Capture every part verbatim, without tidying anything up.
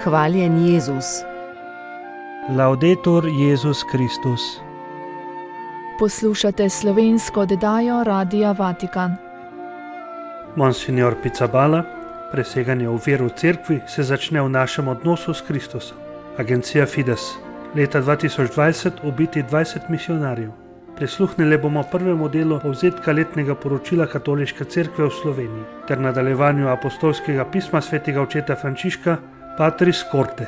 Hvaljen Jezus. Laudetur Jezus Kristus. Poslušate slovensko oddajo Radia Vatikan. Monsignor Pizzaballa, preseganje ovir v cerkvi se začne v našem odnosu s Kristusom. Agencija Fides, leta dva tisoč dvajset ubiti dvajset misionarjev. Prisluhnili bomo prvemu delu povzetka letnega poročila Katoliške cerkve v Sloveniji ter nadaljevanju apostolskega pisma svetega očeta Frančiška Patris Corde.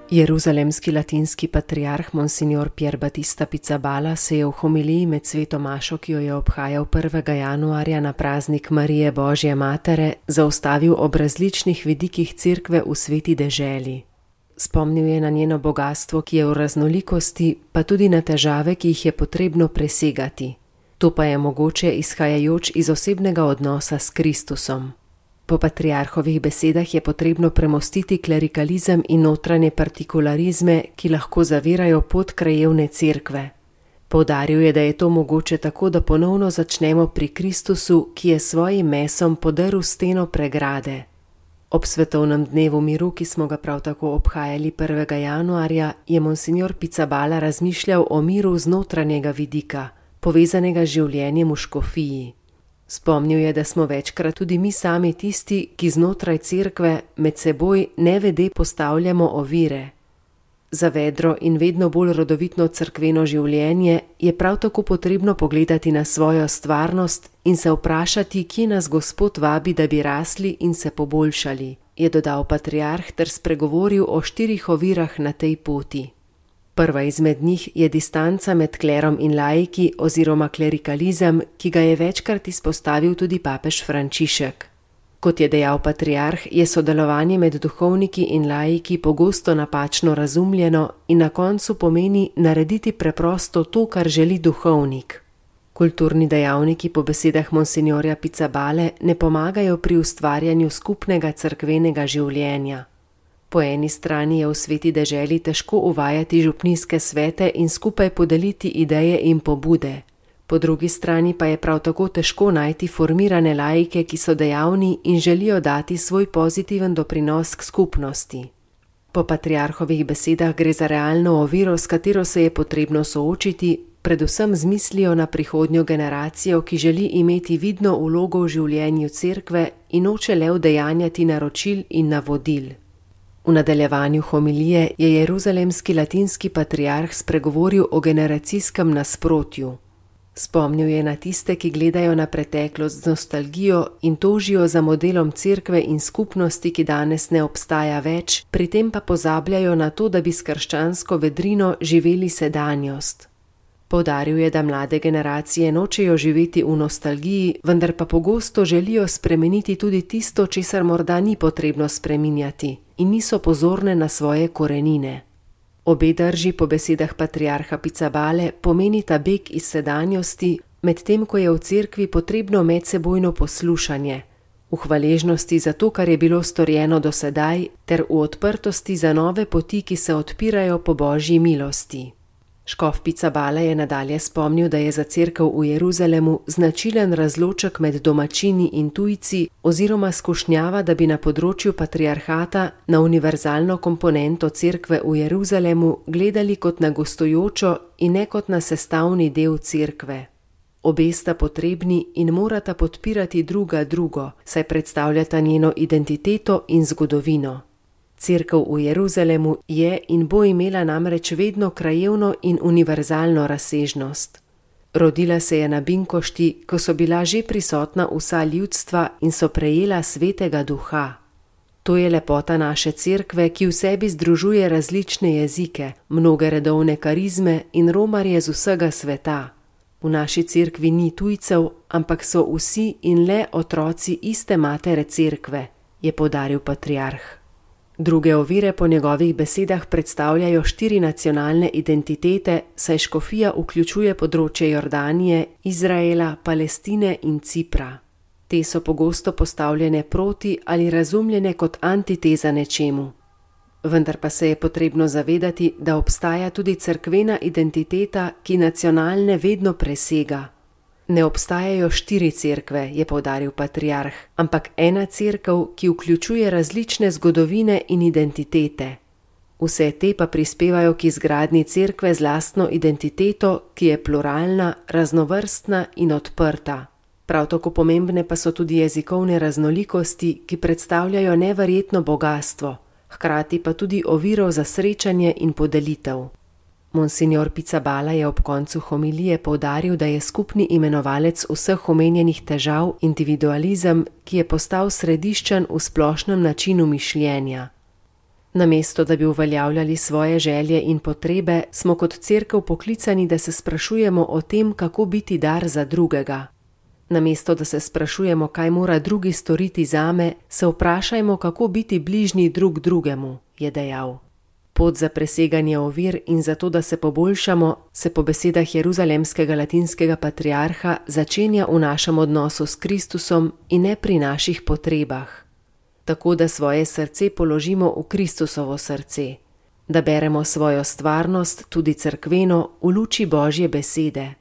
Jeruzalemski latinski patriarh Monsignor Pier Battista Pizzaballa se je v homiliji med sveto mašo, ki jo je obhajal prvega januarja na praznik Marije Božje Matere, zaustavil ob različnih vidikih cerkve v sveti deželi. Spomnil je na njeno bogastvo, ki je v raznolikosti, pa tudi na težave, ki jih je potrebno presegati. To pa je mogoče izhajajoč iz osebnega odnosa s Kristusom. Po patriarhovih besedah je potrebno premostiti klerikalizem in notranje partikularizme, ki lahko zavirajo pot krajevne cerkve. Poudaril je, da je to mogoče tako, da ponovno začnemo pri Kristusu, ki je svojim mesom podrl steno pregrade. Ob svetovnem dnevu miru, ki smo ga prav tako obhajali prvega januarja, je Monsignor Pizzaballa razmišljal o miru z notranjega vidika, povezanega z življenjem v škofiji. Spomnil je, da smo večkrat tudi mi sami tisti, ki znotraj cerkve med seboj nevede postavljamo ovire. Za vedro in vedno bolj rodovitno cerkveno življenje je prav tako potrebno pogledati na svojo stvarnost in se vprašati, kje nas Gospod vabi, da bi rasli in se poboljšali, je dodal patriarh ter spregovoril o štirih ovirah na tej poti. Prva izmed njih je distanca med klerom in laiki oziroma klerikalizem, ki ga je večkrat izpostavil tudi papež Frančišek. Kot je dejal patriarh, je sodelovanje med duhovniki in laiki pogosto napačno razumljeno in na koncu pomeni narediti preprosto to, kar želi duhovnik. Kulturni dejavniki po besedah Monsignorja Pizzaballe ne pomagajo pri ustvarjanju skupnega cerkvenega življenja. Po eni strani je v sveti deželi težko uvajati župnijske svete in skupaj podeliti ideje in pobude. Po drugi strani pa je prav tako težko najti formirane laike, ki so dejavni in želijo dati svoj pozitiven doprinos k skupnosti. Po patriarhovih besedah gre za realno oviro, s katero se je potrebno soočiti, predvsem z mislijo na prihodnjo generacijo, ki želi imeti vidno vlogo v življenju cerkve in noče le udejanjati naročil in navodil. V nadaljevanju homilije je jeruzalemski latinski patriarh spregovoril o generacijskem nasprotju. Spomnil je na tiste, ki gledajo na preteklost z nostalgijo in tožijo za modelom cerkve in skupnosti, ki danes ne obstaja več, pri tem pa pozabljajo na to, da bi s krščansko vedrino živeli sedanjost. Poudaril je, da mlade generacije nočejo živeti v nostalgiji, vendar pa pogosto želijo spremeniti tudi tisto, česar morda ni potrebno spreminjati, in niso pozorne na svoje korenine. Obe drži po besedah patriarha Pizzaballe pomenita beg iz sedanjosti, medtem ko je v cerkvi potrebno medsebojno poslušanje, v hvaležnosti za to, kar je bilo storjeno do sedaj, ter v odprtosti za nove poti, ki se odpirajo po Božji milosti. Škof Pizzaballa je nadalje spomnil, da je za cerkev v Jeruzalemu značilen razloček med domačini in tujci oziroma skušnjava, da bi na področju patriarhata na univerzalno komponento cerkve v Jeruzalemu gledali kot na gostujočo in ne kot na sestavni del cerkve. Obe sta potrebni in morata podpirati druga drugo, saj predstavljata njeno identiteto in zgodovino. Cerkev v Jeruzalemu je in bo imela namreč vedno krajevno in univerzalno razsežnost. Rodila se je na Binkošti, ko so bila že prisotna vsa ljudstva in so prejela svetega duha. To je lepota naše cerkve, ki v sebi združuje različne jezike, mnoge redovne karizme in romarje z vsega sveta. V naši cerkvi ni tujcev, ampak so vsi in le otroci iste matere cerkve, je poudaril patriarh. Druge ovire po njegovih besedah predstavljajo štiri nacionalne identitete, saj škofija vključuje področje Jordanije, Izraela, Palestine in Cipra. Te so pogosto postavljene proti ali razumljene kot antiteza nečemu. Vendar pa se je potrebno zavedati, da obstaja tudi cerkvena identiteta, ki nacionalne vedno presega. Ne obstajajo štiri cerkve, je poudaril patriarh, ampak ena cerkev, ki vključuje različne zgodovine in identitete. Vse te pa prispevajo k izgradnji cerkve z lastno identiteto, ki je pluralna, raznovrstna in odprta. Prav tako pomembne pa so tudi jezikovne raznolikosti, ki predstavljajo neverjetno bogastvo, hkrati pa tudi oviro za srečanje in podelitev. Monsignor Pizzaballa je ob koncu homilije poudaril, da je skupni imenovalec vseh omenjenih težav individualizem, ki je postal središčen v splošnem načinu mišljenja. Namesto da bi uveljavljali svoje želje in potrebe, smo kot cerkev poklicani, da se sprašujemo o tem, kako biti dar za drugega. Namesto da se sprašujemo, kaj mora drugi storiti zame, se vprašajmo, kako biti bližnji drug drugemu, je dejal. Pot za preseganje ovir in za to, da se poboljšamo, se po besedah jeruzalemskega latinskega patriarha začenja v našem odnosu s Kristusom in ne pri naših potrebah. Tako da svoje srce položimo v Kristusovo srce, da beremo svojo stvarnost, tudi cerkveno, v luči Božje besede.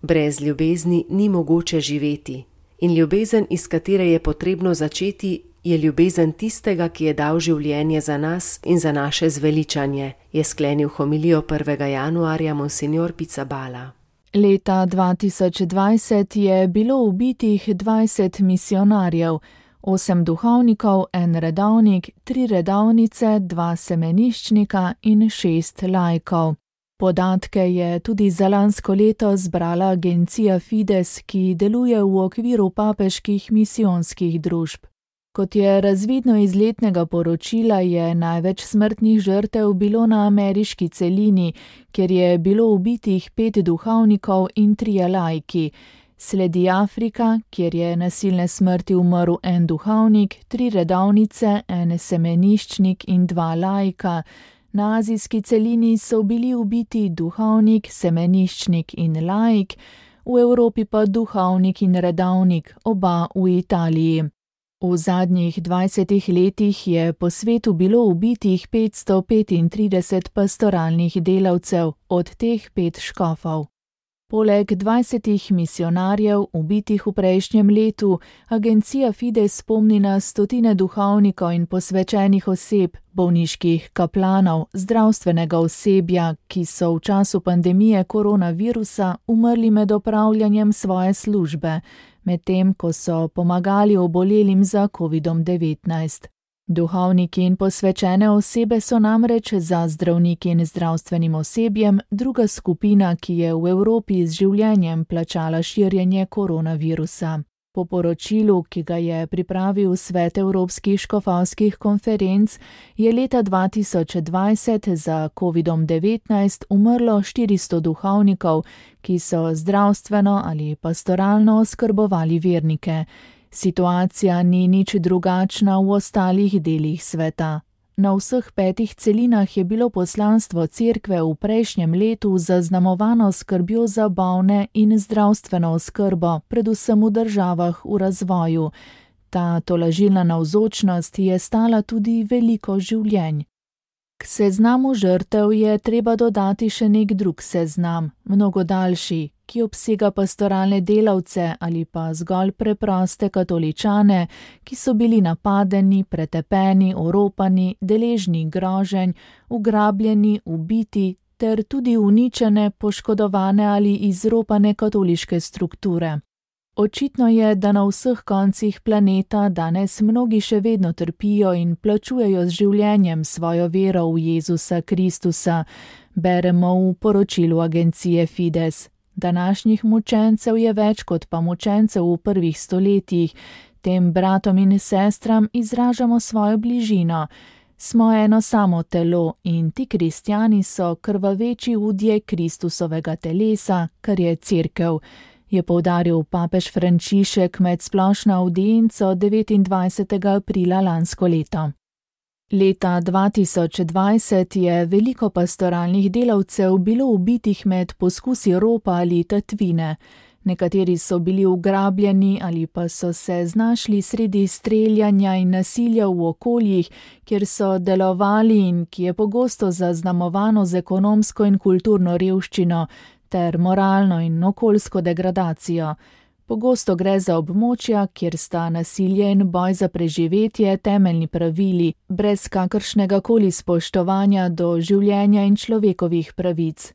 Brez ljubezni ni mogoče živeti in ljubezen, iz katere je potrebno začeti, je ljubezen tistega, ki je dal življenje za nas in za naše zveličanje, je sklenil homilijo prvega januarja monsignor Pizzaballa. Leta dva tisoč dvajset je bilo ubitih dvajset misionarjev, osem duhovnikov, en redovnik, tri redovnice, dva semeniščnika in šest laikov. Podatke je tudi za lansko leto zbrala agencija Fides, ki deluje v okviru papeških misijonskih družb. Kot je razvidno iz letnega poročila, je največ smrtnih žrtev bilo na ameriški celini, kjer je bilo ubitih pet duhovnikov in trije laiki. Sledi Afrika, kjer je nasilne smrti umrl en duhovnik, tri redovnice, en semeniščnik in dva laika. Na azijski celini so bili ubiti duhovnik, semeniščnik in laik, v Evropi pa duhovnik in redovnik, oba v Italiji. V zadnjih dvajsetih letih je po svetu bilo ubitih petsto petintrideset pastoralnih delavcev, od teh pet škofov. Poleg dvajsetih misionarjev, ubitih v prejšnjem letu, agencija Fides spomni na stotine duhovnikov in posvečenih oseb, bolniških kaplanov, zdravstvenega osebja, ki so v času pandemije koronavirusa umrli med opravljanjem svoje službe, medtem ko so pomagali obolelim za kovidom devetnajst. Duhovniki in posvečene osebe so namreč za zdravniki in zdravstvenim osebjem druga skupina, ki je v Evropi z življenjem plačala širjenje koronavirusa. Po poročilu, ki ga je pripravil Svet Evropskih škofovskih konferenc, je leta dva tisoč dvajset za kovidom devetnajst umrlo štiristo duhovnikov, ki so zdravstveno ali pastoralno oskrbovali vernike. Situacija ni nič drugačna v ostalih delih sveta. Na vseh petih celinah je bilo poslanstvo cerkve v prejšnjem letu zaznamovano skrbjo za bolne in zdravstveno oskrbo, predvsem v državah v razvoju. Ta tolažilna navzočnost je stala tudi veliko življenj. K seznamu žrtev je treba dodati še nek drug seznam, mnogo daljši, ki obsega pastoralne delavce ali pa zgolj preproste katoličane, ki so bili napadeni, pretepeni, oropani, deležni groženj, ugrabljeni, ubiti ter tudi uničene, poškodovane ali izropane katoliške strukture. Očitno je, da na vseh koncih planeta danes mnogi še vedno trpijo in plačujejo z življenjem svojo vero v Jezusa Kristusa, beremo v poročilu agencije Fides. Današnjih mučencev je več kot pa mučencev v prvih stoletjih, tem bratom in sestram izražamo svojo bližino. Smo eno samo telo in ti kristjani so krvaveči udje Kristusovega telesa, kar je cerkev, je poudaril papež Frančišek med splošno avdienco devetindvajsetega aprila lansko leto. Leta dva tisoč dvajset je veliko pastoralnih delavcev bilo ubitih med poskusi ropa ali tatvine. Nekateri so bili ugrabljeni ali pa so se znašli sredi streljanja in nasilja v okoljih, kjer so delovali in ki je pogosto zaznamovano z ekonomsko in kulturno revščino, ter moralno in okoljsko degradacijo. Pogosto gre za območja, kjer sta nasilje in boj za preživetje temeljni pravili, brez kakršnega koli spoštovanja do življenja in človekovih pravic.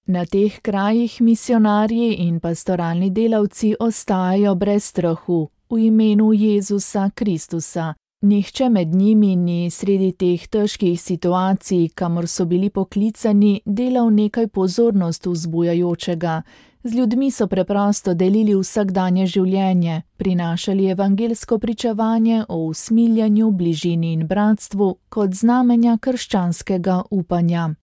Na teh krajih misionarji in pastoralni delavci ostajajo brez strahu, v imenu Jezusa Kristusa. Nihče med njimi ni sredi teh težkih situacij, kamor so bili poklicani, delal nekaj pozornost vzbujajočega. Z ljudmi so preprosto delili vsakdanje življenje, prinašali evangelsko pričevanje o usmiljanju, bližini in bratstvu kot znamenja krščanskega upanja.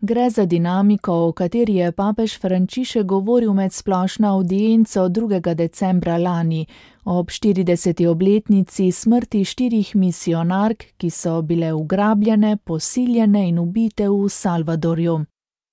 Gre za dinamiko, o kateri je papež Frančišek govoril med splošno avdienco drugega decembra lani, ob štirideseti obletnici smrti štirih misionark, ki so bile ugrabljene, posiljene in ubite v Salvadorju.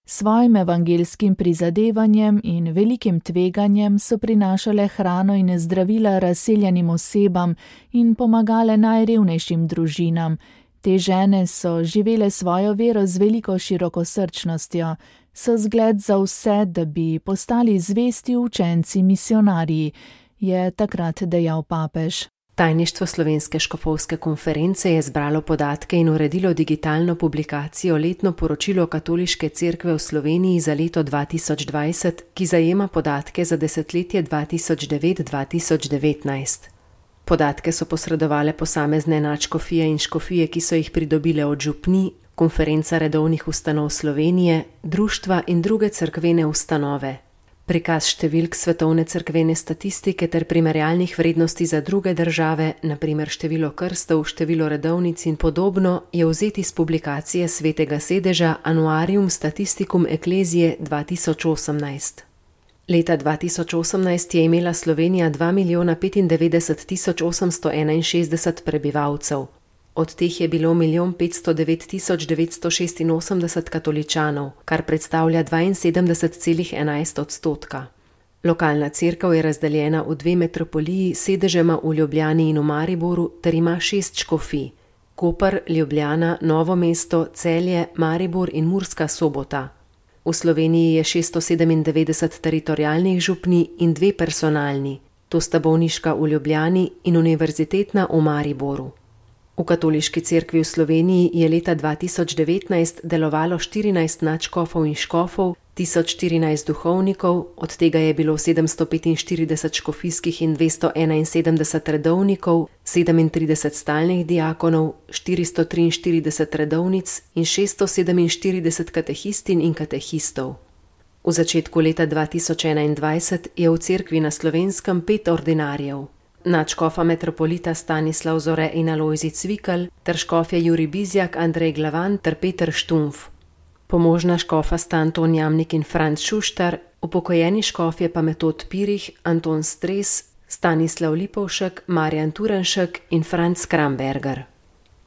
Svojim evangelskim prizadevanjem in velikim tveganjem so prinašale hrano in zdravila razseljenim osebam in pomagale najrevnejšim družinam. Te žene so živele svojo vero z veliko širokosrčnostjo, so zgled za vse, da bi postali zvesti učenci misionarji, je takrat dejal papež. Tajništvo Slovenske škofovske konference je zbralo podatke in uredilo digitalno publikacijo Letno poročilo Katoliške cerkve v Sloveniji za leto dva tisoč dvajset, ki zajema podatke za desetletje dva tisoč devet do dva tisoč devetnajst. Podatke so posredovale posamezne nadškofije in škofije, ki so jih pridobile od župnij, Konferenca redovnih ustanov Slovenije, društva in druge cerkvene ustanove. Prikaz številk svetovne cerkvene statistike ter primerjalnih vrednosti za druge države, na primer število krstov, število redovnic in podobno, je vzet iz publikacije Svetega sedeža Annuarium Statisticum Ecclesiae dva tisoč osemnajst. Leta dva tisoč osemnajst je imela Slovenija dva milijona petindevetdeset tisoč osemsto enainšestdeset prebivalcev. Od teh je bilo milijon petsto devet tisoč devetsto šestinosemdeset katoličanov, kar predstavlja dvainsedemdeset celih enajst odstotka. Lokalna cerkev je razdeljena v dve metropoliji s sedežema v Ljubljani in v Mariboru ter ima šest škofij: Koper, Ljubljana, Novo mesto, Celje, Maribor in Murska Sobota. V Sloveniji je šeststo sedemindevetdeset teritorialnih župnij in dve personalni, to sta bolniška v Ljubljani in univerzitetna v Mariboru. V Katoliški cerkvi v Sloveniji je leta dva tisoč devetnajst delovalo štirinajst nadškofov in škofov, tisoč štirinajst duhovnikov, od tega je bilo sedemsto petinštirideset škofijskih in dvesto enainsedemdeset redovnikov, sedemintrideset stalnih diakonov, štiristo triinštirideset redovnic in šeststo sedeminštirideset katehistin in katehistov. V začetku leta dva tisoč enaindvajset je v cerkvi na Slovenskem pet ordinarjev. Nadškofa metropolita Stanislav Zore in Alojzij Cvikl ter škofje Jurij Bizjak, Andrej Glavan ter Peter Štumf. Pomožna škofa sta Anton Jamnik in Franc Šuštar, upokojeni škofje pa Metod Pirih, Anton Stres, Stanislav Lipovšek, Marjan Turenšek in Franc Kramberger.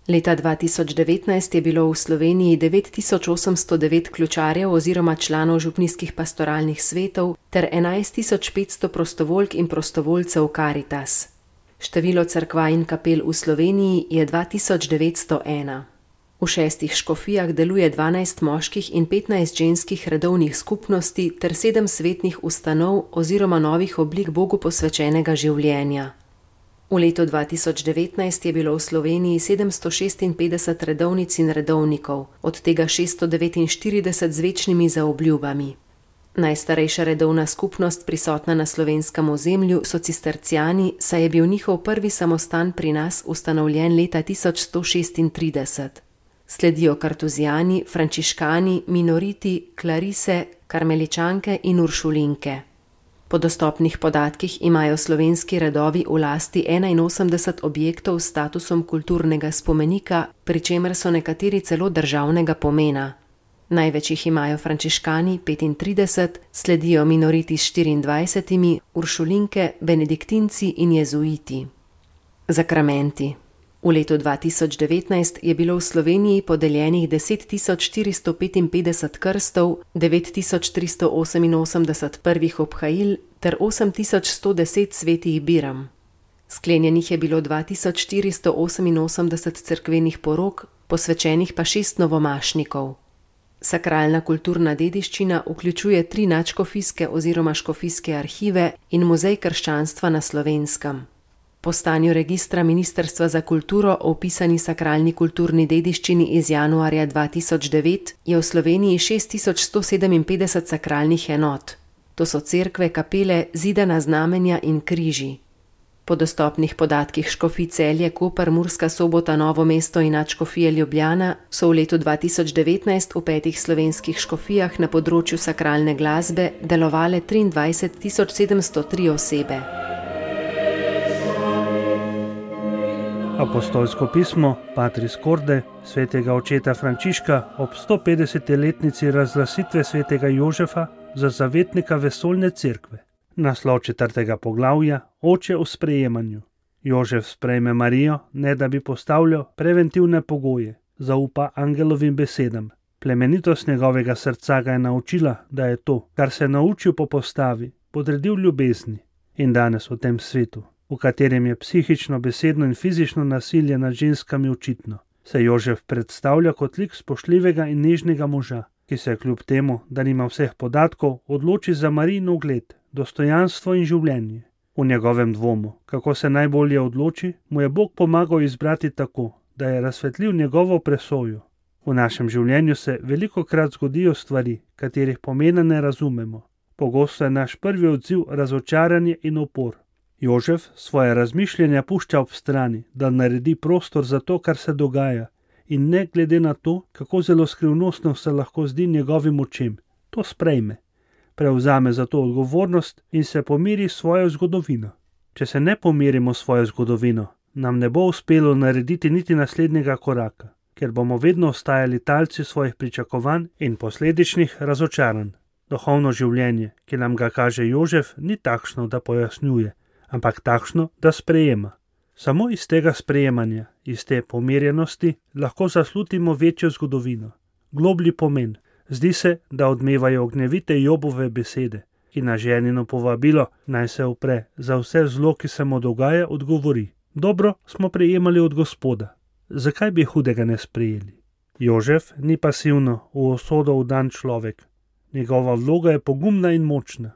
Leta dva tisoč devetnajst je bilo v Sloveniji devet tisoč osemsto devet ključarjev oziroma članov župnijskih pastoralnih svetov ter enajst tisoč petsto prostovoljk in prostovoljcev Karitas. Število cerkva in kapel v Sloveniji je dva tisoč devetsto ena. V šestih škofijah deluje dvanajst moških in petnajst ženskih redovnih skupnosti ter sedem svetnih ustanov oziroma novih oblik Bogu posvečenega življenja. V letu dva tisoč devetnajst je bilo v Sloveniji sedemsto šestinpetdeset redovnic in redovnikov, od tega šeststo devetinštirideset z večnimi zaobljubami. Najstarejša redovna skupnost prisotna na slovenskem ozemlju so cisterciani, saj je bil njihov prvi samostan pri nas ustanovljen leta tisoč sto šestintrideset. Sledijo kartuzijani, frančiškani, minoriti, klarise, karmeličanke in uršulinke. Po dostopnih podatkih imajo slovenski redovi v lasti enainosemdeset objektov s statusom kulturnega spomenika, pri čemer so nekateri celo državnega pomena. Največ jih imajo frančiškani petintrideset, sledijo minoriti s štiriindvajsetimi, uršulinke, benediktinci in jezuiti. Zakramenti. V letu dva tisoč devetnajst je bilo v Sloveniji podeljenih deset tisoč štiristo petinpetdeset krstov, devet tisoč tristo oseminosemdeset prvih obhajil ter osem tisoč sto deset svetih biram. Sklenjenih je bilo dva tisoč štiristo oseminosemdeset cerkvenih porok, posvečenih pa šest novomašnikov. Sakralna kulturna dediščina vključuje tri nadškofijske oziroma škofijske arhive in muzej krščanstva na Slovenskem. Po stanju registra Ministrstva za kulturo o vpisani sakralni kulturni dediščini iz januarja dva tisoč devet je v Sloveniji šest tisoč sto sedeminpetdeset sakralnih enot. To so cerkve, kapele, zidana znamenja in križi. Po dostopnih podatkih škofij Celje, Koper, Murska Sobota, Novo mesto in nadškofije Ljubljana so v letu dva tisoč devetnajst v petih slovenskih škofijah na področju sakralne glasbe delovale triindvajset tisoč sedemsto tri osebe. Apostolsko pismo Patris Corde svetega očeta Frančiška ob stopetdeseti razglasitve svetega Jožefa za zavetnika vesoljne cerkve. Naslov četrtega poglavja, Oče v sprejemanju. Jožef sprejme Marijo, ne da bi postavljal preventivne pogoje, zaupa angelovim besedam. Plemenitost njegovega srca ga je naučila, da je to, kar se je naučil po postavi, podredil ljubezni. In danes v tem svetu, v katerem je psihično, besedno in fizično nasilje nad ženskami očitno, se Jožef predstavlja kot lik spoštljivega in nežnega moža, ki se kljub temu, da nima vseh podatkov, odloči za Marijin ugled, dostojanstvo in življenje. V njegovem dvomu, kako se najbolje odloči, mu je Bog pomagal izbrati tako, da je razsvetlil njegovo presojo. V našem življenju se velikokrat zgodijo stvari, katerih pomena ne razumemo. Pogosto je naš prvi odziv razočaranje in upor. Jožef svoje razmišljanja pušča ob strani, da naredi prostor za to, kar se dogaja, in ne glede na to, kako zelo skrivnostno se lahko zdi njegovim očem, to sprejme. Prevzame za to odgovornost in se pomiri s svojo zgodovino. Če se ne pomirimo s svojo zgodovino, nam ne bo uspelo narediti niti naslednjega koraka, ker bomo vedno ostajali talci svojih pričakovanj in posledičnih razočaranj. Duhovno življenje, ki nam ga kaže Jožef, ni takšno, da pojasnjuje, ampak takšno, da sprejema. Samo iz tega sprejemanja, iz te pomirjenosti, lahko zaslutimo večjo zgodovino, globlji pomen. Zdi se, da odmevajo ognjevite Jobove besede, ki na ženino povabilo naj se upre za vse zlo, ki se mu dogaja, odgovori: dobro smo prejemali od Gospoda, zakaj bi hudega ne sprejeli? Jožef ni pasivno v usodo vdan človek. Njegova vloga je pogumna in močna.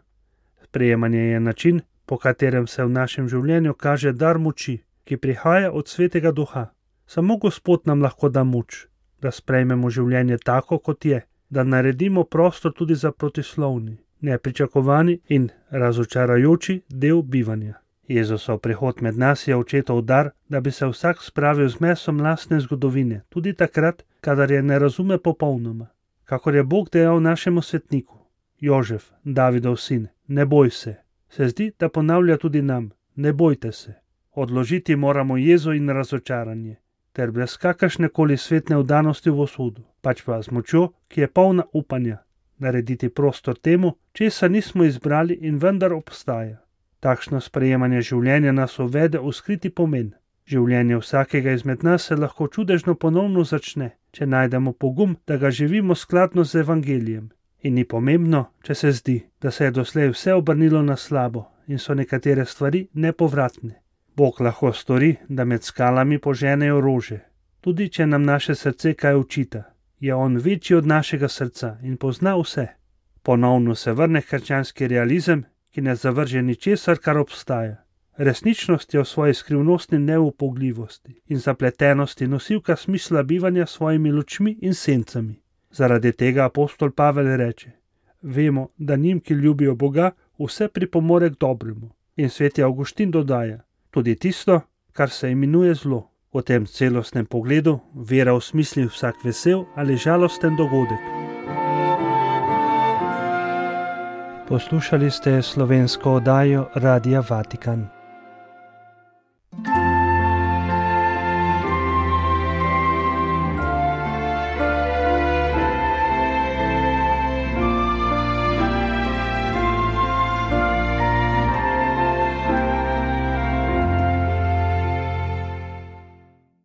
Sprejemanje je način, po katerem se v našem življenju kaže dar moči, ki prihaja od Svetega Duha. Samo Gospod nam lahko da moč, da sprejmemo življenje tako, kot je, da naredimo prostor tudi za protislovni, nepričakovani in razočarajoči del bivanja. Jezusov prihod med nas je očetov dar, da bi se vsak spravil z mesom lastne zgodovine, tudi takrat, kadar je ne razume popolnoma. Kakor je Bog dejal našemu svetniku: Jožef, Davidov sin, ne boj se. Se zdi, da ponavlja tudi nam: ne bojte se. Odložiti moramo jezo in razočaranje, ter brez kakršne koli svetne vdanosti v usodo, pač pa z močjo, ki je polna upanja, narediti prostor temu, česar nismo izbrali in vendar obstaja. Takšno sprejemanje življenja nas uvede v skriti pomen. Življenje vsakega izmed nas se lahko čudežno ponovno začne, če najdemo pogum, da ga živimo skladno z evangelijem. In ni pomembno, če se zdi, da se je doslej vse obrnilo na slabo in so nekatere stvari nepovratne. Bog lahko stori, da med skalami poženejo rože. Tudi če nam naše srce kaj očita, je on večji od našega srca in pozna vse. Ponovno se vrne krščanski realizem, ki ne zavrže ničesar, kar obstaja. Resničnost je v svoji skrivnostni neupogljivosti in zapletenosti nosilka smisla bivanja s svojimi lučmi in sencami. Zaradi tega apostol Pavel reče: vemo, da njim, ki ljubijo Boga, vse pripomore k dobremu. In sveti Avguštin dodaja: tudi tisto, kar se imenuje zlo. V tem celostnem pogledu vera osmisli vsak vesel ali žalosten dogodek. Poslušali ste slovensko oddajo Radia Vatikan.